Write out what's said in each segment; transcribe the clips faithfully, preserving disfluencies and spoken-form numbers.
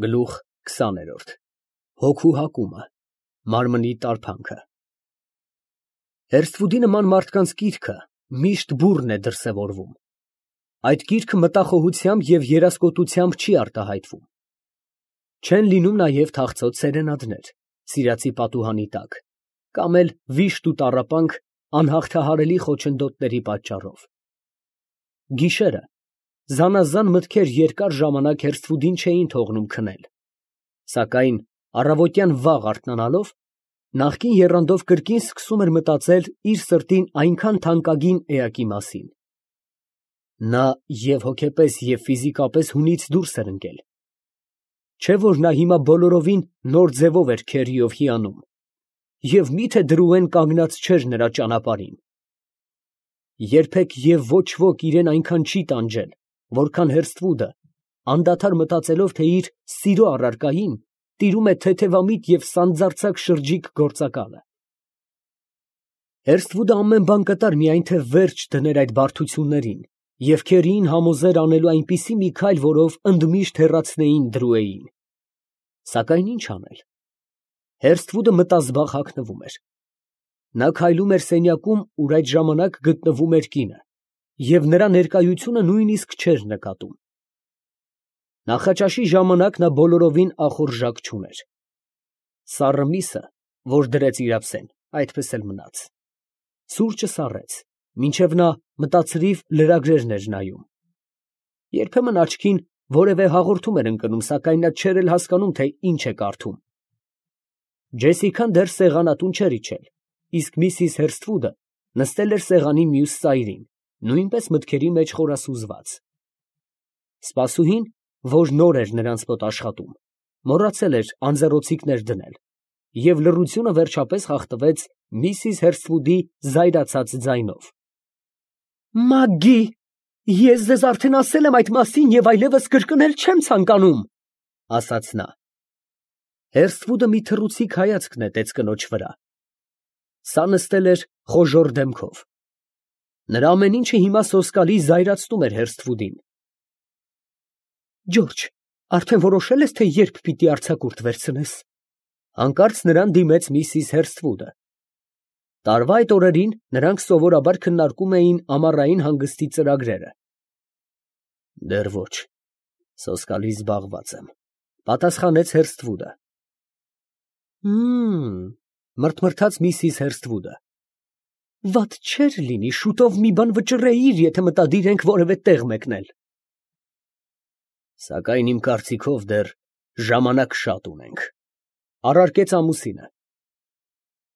Գլուխ քսաներորդ Հոգու հակումը, մարմնի տարփանքը։ Հերթվուդի նման մարդկանց կիրքը միշտ բուռն է դրսևորվում։ Այդ կիրքը մտախոհությամբ և երասկոտությամբ չի արտահայտվում։ Չեն լինում նաև թախծոտ սերենադներ, սիրածի պատուհանի տակ, կամ էլ վիշտ ու տառապանք անհաղթահարելի խոչընդոտների պատճառով։ Գիշերը զանազան մտքեր երկար ժամանակ Հերթվուդին չէին թողնում քնել, սակայն առավոտյան վաղ արթնանալով, նախկին եռանդով կրկին սկսում էր մտածել իր սրտին այնքան թանկագին էակի մասին։ Նա և հոգեպես և ֆիզիկապես հունից դուրս էր ընկել։ Չէ՞ որ նա հիմա բոլորովին նոր ձևով էր քերիով հիանում, և մի՞թե դրուեն կանգնած չէր նրա ճանապարհին։ Երբեք և ոչ ոք իրան այնքան չի տանջել, որքան Հերթվուդը, անդադար մտածելով, թե իր սիրո առարկային տիրում է թեթևամիտ և սանձարձակ շրջիկ գործակալը։ Հերթվուդը ամեն բան կտար, միայն թե վերջ դներ այդ բարդություններին և քերիին համոզեր անելու այնպիսի մի քայլ, որով ընդմիշտ հեռացնեին դրուեին։ Սակայն ի՞նչ անել։ Հերթվուդը մտազբաղ հագնվում էր։ Նա քայլում էր սենյակում, ուր այդ ժամանակ գտնվում էր կինը, և նրա ներկայությունը նույնիսկ չէր նկատում։ Նախաճաշի ժամանակ նա բոլորովին ախորժակ չուներ։ Սառը միսը, որ դրեց իր ափսեն, այդպես էլ մնաց։ Սուրճը սառեց, մինչև նա մտածրիվ լրագրերն էր նայում։ Երբեմն աչքին որևէ հաղորդում էր ընկնում, սակայն նա չէր էլ հասկանում, թե ինչ է կարդում։ Ջեսիկան դեռ սեղանատուն չէր իջել, իսկ միսիս Հերթվուդը նստել էր սեղանի մյուս ծայրին, նույնպես մտքերի մեջ խորասուզված։ Սպասուհին, որ նոր էր նրանց մոտ աշխատում, մոռացել էր անձեռոցիկներ դնել, և լռությունը վերջապես խախտվեց միսիս Հերթվուդի զայրացած ձայնով. «Մագգի, ես ձեզ արդեն ասել եմ այդ մասին և այլևս կրկնել չեմ ցանկանում», ֊ ասաց նա։ Հերթվուդը մի թռուցիկ հայացք նետեց կնոջ վրա։ Սա նստել էր խոժոռ դեմքով։ Նրա ամեն ինչը հիմա սոսկալի զայրացնում էր Հերթվուդին։ «Ջորջ, արդեն որոշե՞լ ես, թե երբ պիտի արձակուրդ վերցնես», ֊ հանկարծ նրան դիմեց միսիս Հերթվուդը։ Տարվա այդ օրերին նրանք սովորաբար քննարկում էին ամառային հանգստի ծրագրերը։ «Դեռ ոչ, սոսկալի զբաղված եմ», ֊ պատասխանեց Հերթվուդը։ «Հըմ, ֊ մրթմրթաց միսիս Հերթվուդը, ֊ վատ չէր լինի շուտով մի բան վճռեիր, եթե մտադիր ենք որևէ տեղ մեկնել»։ «Սակայն իմ կարծիքով դեռ ժամանակ շատ ունենք», ֊ առարկեց ամուսինը։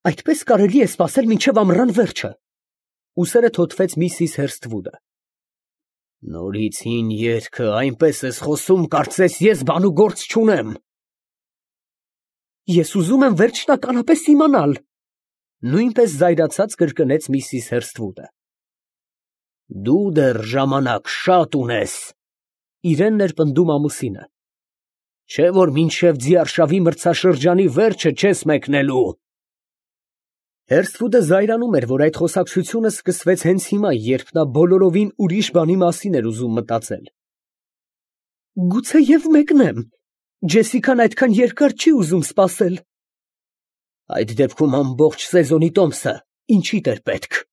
«Այդպես կարելի է սպասել մինչև ամռան վերջը», ֊ ուսերը թոթվեց միսիս Հերթվուդը։ «Նորից հին երգը այնպես ես խոսում, կարծես ես բան ու գործ չունեմ»։ «Ես ուզում եմ վերջնականապես իմանալ», ֊ նույնպես զայրացած կրկնեց միսիս Հերթվուդը։ «Դու դեռ ժամանակ շատ ունես», ֊ իրեն էր պնդում ամուսինը։ «Չէ՞ որ մինչև ձիարշավի մրցաշրջանի վերջը չես մեկնելու»։ Հերթվուդը զայրանում էր, որ այդ խոսակցությունը սկսվեց հենց հիմա, երբ նա բոլորովին ուրիշ բանի մասին էր ուզում մտածել։ «Գուցեև մեկնեմ, Ջեսիկան այդքան երկար չի ուզում սպասել»։ «Այդ դեպքում ամբողջ սեզոնի տոմսը ինչիդ էր պետք», ֊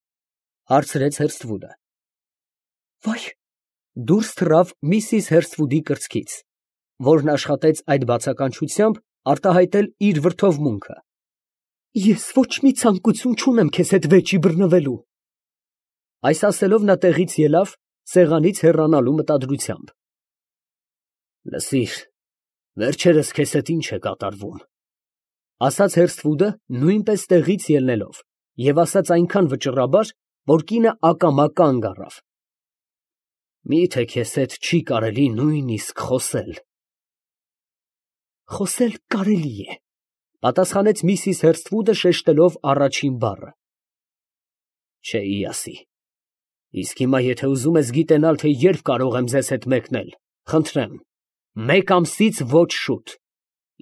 հարցրեց Հերթվուդը։ «Վայ», ֊ դուրս թռավ միսիս Հերթվուդի կրծքից, որն աշխատեց այդ բացականչությամբ արտահայտել իր վրդովմունքը։ «Ես ոչ մի ցանկություն չունեմ քեզ հետ վեճի բռնվելու»։ Այս ասելով նա տեղից ելավ, սեղանից հեռանալու մտադրությամբ։ «Լսիր, վերջերս քեզ հետ ի՞նչ է կատարվում», ֊ ասաց Հերթվուդը նույնպես տեղից ելնելով, և ասաց այնքան վճռաբար, որ կինը ակամա կանգ առավ։ «Մի՞թե քեզ հետ չի կարելի նույնիսկ խոսել»։ «Խոսել կարելի է», ֊ պատասխանեց միսիս Հերթվուդը, շեշտելով առաջին բառը։ «Չէի ասի։ Իսկ հիմա եթե ուզում ես գիտենալ, թե երբ կարող եմ ձեզ հետ մեկնել, խնդրեմ, մեկ ամսից ոչ շուտ,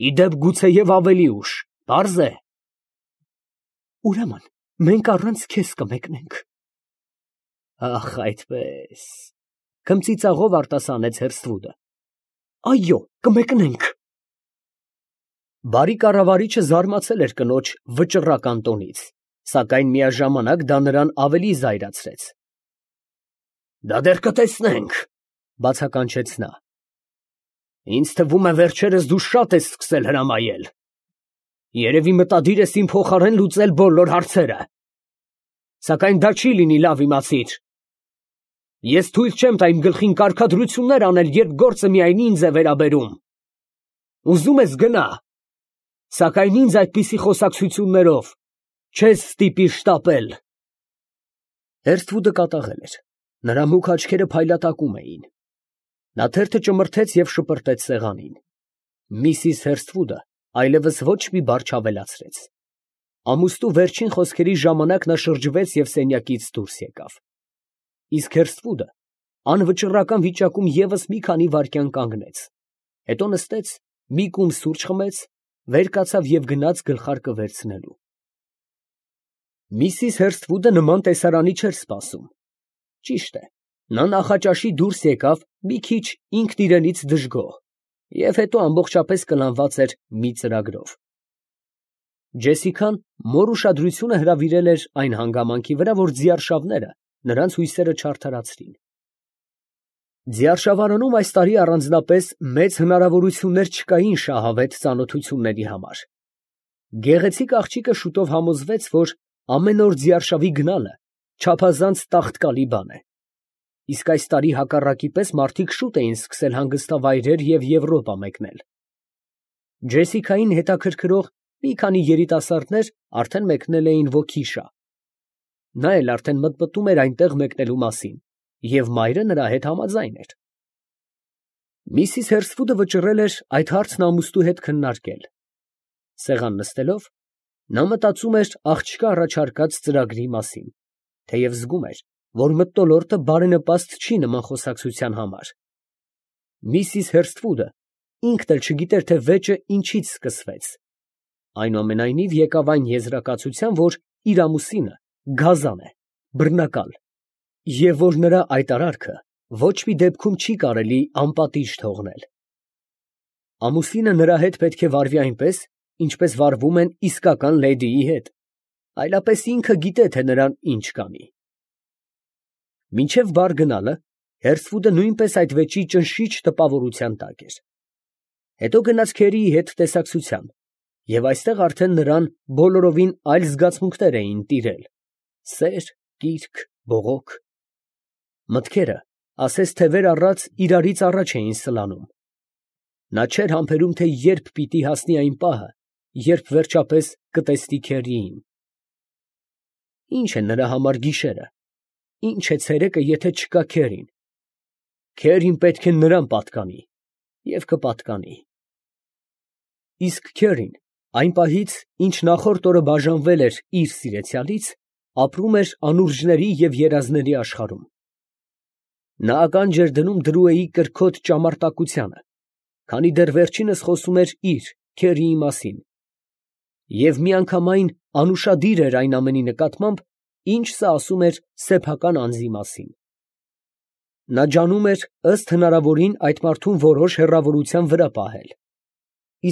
ի դեպ գուցեև ավելի ուշ, պարզ է»։ «Ուրեմն մենք առանց քեզ կմեկնենք»։ «Ախ, այդպես», ֊ քմծիծաղով արտասանեց Հերթվուդը։ «Այո, կմեկնենք»։ Բարի կառավարիչը զարմացել էր կնոջ վճռական տոնից, սակայն միաժամանակ դա նրան ավելի զայրացրեց։ ֊ Դա դեռ կտեսնենք, ֊ բացականչեց նա։ ֊ Ինձ թվում է վերջերս դու շատ ես սկսել հրամայել. երևի մտադիր ես իմ փոխարեն լուծել բոլոր հարցերը, սակայն դա չի լինի, լավ իմացիր. ես թույլ չեմ տա իմ գլխին կարգադրություններ անել, երբ գործը միայն ինձ է վերաբերում. ուզում ես գնա, սակայն ինձ այդպիսի խոսակցություններով չես ստիպի շտապել։ Հերթվուդը կատաղել էր, նրա մուգ աչքերը փայլատակում էին։ Նա թերթը ճմրթեց և շպրտեց սեղանին։ Միսիս Հերթվուդը այլևս ոչ մի բառ չավելացրեց։ Ամուսնու վերջին խոսքերի ժամանակ նա շրջվեց և սենյակից դուրս եկավ։ Իսկ Հերթվուդը անվճռական վիճակում ևս մի քանի վայրկյան կանգնեց, հետո նստեց, մի կում սուրճ խմեց, վեր կացավ և գնաց գլխարկը վերցնելու։ Միսիս Հերթվուդը նման տեսարանի չէր սպասում։ Ճիշտ է, նա նախաճաշի դուրս եկավ մի քիչ ինքն իրենից դժգոհ և հետո ամբողջապես կլանված էր մի ծրագրով։ Ջեսիկան մոր ուշադրությունը հրավիրել էր այն հանգամանքի վրա, որ ձիարշավները նրանց հույսերը չարդարացրին։ Ձիարշավարանում այս տարի առանձնապես մեծ հնարավորություններ չկային շահավետ ծանոթությունների համար։ Գեղեցիկ աղջիկը շուտով համոզվեց, որ ամեն օր ձիարշավի գնալը չափազանց տաղտկալի բան է։ Իսկ այս տարի հակառակի պես մարդիկ շուտ էին սկսել հանգստավայրեր և Եվրոպա մեկնել։ Ջեսիկային հետաքրքրող մի քանի երիտասարդներ արդեն մեկնել էին Ոքիշա։ Նա էլ արդեն մտմտում էր այնտեղ մեկնելու մասին, և մայրը նրա հետ համաձայն էր։ Միսիս Հերթվուդը վճռել էր այդ հարցն ամուսնու հետ քննարկել։ Սեղան նստելով, նա մտածում էր աղջկա առաջարկած ծրագրի մասին, թեև զգում էր, որ մթնոլորտը բարենպաստ չի նման խոսակցության համար։ Միսիս Հերթվուդը ինքն էլ չգիտեր, թե վեճը ինչից սկսվեց։ Այնուամենայնիվ եկավ այն եզրակացության, որ իր ամուսինը գազան է, բռնակալ, և որ նրա այդ արարքը ոչ մի դեպքում չի կարելի անպատիժ թողնել։ Ամուսինը նրա հետ պետք է վարվի այնպես, ինչպես վարվում են իսկական լեդիի հետ, այլապես ինքը գիտե, թե նրան ինչ կանի։ Մինչև բար գնալը Հերթվուդը նույնպես այդ վեճի ճնշիչ տպավորության տակ էր։ Հետո գնաց քերիի հետ տեսակցության, և այստեղ արդեն նրան բոլորովին այլ զգացմունքներ էին տիրել՝ սեր, կիրք, բողոք։ Մտքերը, ասես թևեր առած, իրարից առաջ էին սլանում։ Նա չէր համբերում, թե երբ պիտի հասնի այն պահը, երբ վերջապես կտեսնի քերիին։ Ի՞նչ է նրա համար գիշերը, ի՞նչ է ցերեկը, եթե չկա քերին։ Քերին պետք է նրան պատկանի և կպատկանի։ Իսկ քերին այն պահից, ինչ նախորդ օրը բաժանվել էր իր սիրեցյալից, ապրում էր անուրջների և երազների աշխարհում։ Նա ականջ էր դնում Դրուեի կրքոտ ճամարտակությանը, քանի դեռ վերջինս խոսում էր իր, քերիի մասին, և միանգամայն անուշադիր էր այն ամենի նկատմամբ, ինչ սա ասում էր սեփական անձի մասին։ Նա ջանում էր ըստ հնարավորին այդ մարդուն որոշ հեռավորության վրա պահել,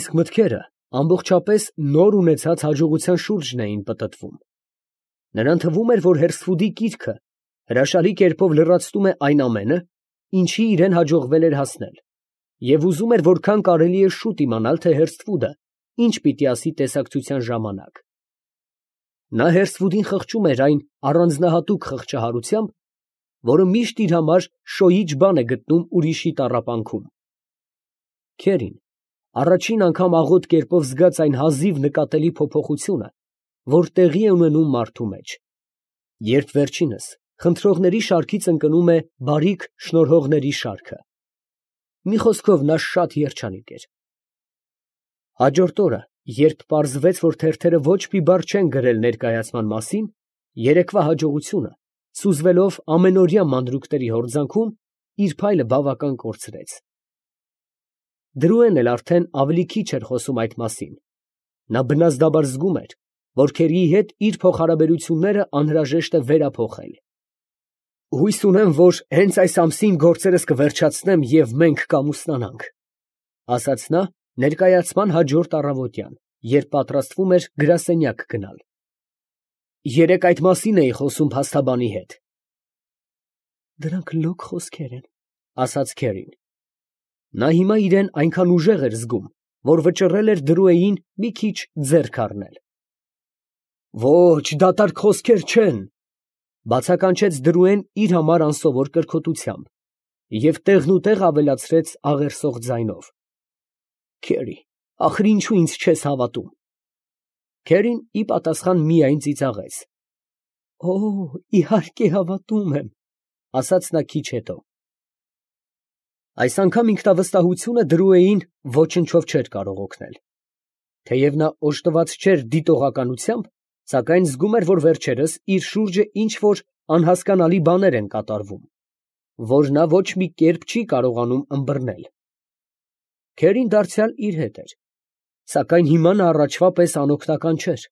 իսկ մտքերը ամբողջապես նոր ունեցած հաջողության շուրջն էին պտտվում։ Նրան թվում էր, որ Հերթվուդի կիրքը հրաշալի կերպով լրացնում է այն ամենը, ինչի իրեն հաջողվել էր հասնել, և ուզում էր որքան կարելի է շուտ իմանալ, թե Հերթվուդը ինչ պիտի ասի տեսակցության ժամանակ։ Նա Հերթվուդին խղճում էր այն առանձնահատուկ խղճահարությամբ, որը միշտ իր համար շոյիչ բան է գտնում ուրիշի տառապանքում։ Քերին առաջին անգամ աղոտ կերպով զգաց այն հազիվ նկատելի փոփոխությունը, որ տեղի է ունենում մարդու մեջ, երբ վերջինս խնդրողների շարքից ընկնում է բարիք շնորհողների շարքը։ Մի խոսքով, նա շատ երջանիկ էր։ Հաջորդ օրը, երբ պարզվեց, որ թերթերը ոչ մի բառ չեն գրել ներկայացման մասին, երեկվա հաջողությունը, սուզվելով ամենօրյա մանրուքների հորձանքում, իր փայլը բավական կորցրեց։ Դրուեն էլ արդեն ավելի քիչ էր խոսում այդ մասին։ Նա բնազդաբար զգում էր, որ քերիի հետ իր փոխհարաբերությունները անհրաժեշտ է վերափոխել։ Հույս ունեմ, որ հենց այս ամսին գործերս կվերջացնեմ, և մենք կամուսնանանք, ֊ ասաց նա, Ներկայացման հաջորդ առավոտյան, երբ պատրաստվում էր գրասենյակ գնալ։ Երեկ այդ մասին էի խոսում փաստաբանի հետ։ Դրանք լոկ խոսքեր են, ասաց Քերին։ Նա հիմա իրեն այնքան ուժեղ էր զգում, որ վճռել էր Դրուեին մի քիչ ձեռք առնել։ Ոչ, դատարկ խոսքեր չեն, բացականչեց Դրուեն իր համար անսովոր կրքոտությամբ և տեղնուտեղ ավելացրեց աղերսող ձայնով. Քերի, ախր ինչու ինձ չես հավատում։ Քերին ի պատասխան միայն ծիծաղեց։ Օ, իհարկե հավատում եմ, ասաց նա քիչ հետո։ Այս անգամ ինքնավստահությունը Դրուեին ոչնչով չէր կարող օգնել։ Թեև նա օժտված չէր դիտողականությամբ, սակայն զգում էր, որ վերջերս իր շուրջը ինչ֊որ անհասկանալի բաներ են կատարվում, որ նա ոչ մի կերպ չի կարողանում ըմբռնել։ Քերին դարձյալ իր հետ էր, սակայն հիմա նա առաջվա պես անօգնական չէր։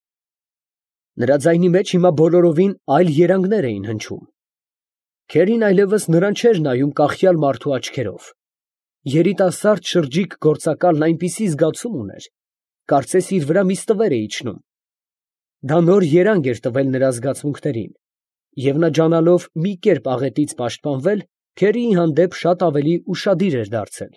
Նրա ձայնի մեջ հիմա բոլորովին այլ երանգներ էին հնչում։ Քերին այլևս նրան չէր նայում կախյալ մարդու աչքերով։ Երիտասարդ շրջիկ գործակալն այնպիսի զգացում ուներ, կարծես իր վրա մի ստվեր է իջնում։ Դա նոր երանգ էր տվել նրա զգացմունքներին, և նա ջանալով մի կերպ աղետից պաշտպանվել, Քերիի հանդեպ շատ ավելի ուշադիր էր դարձել։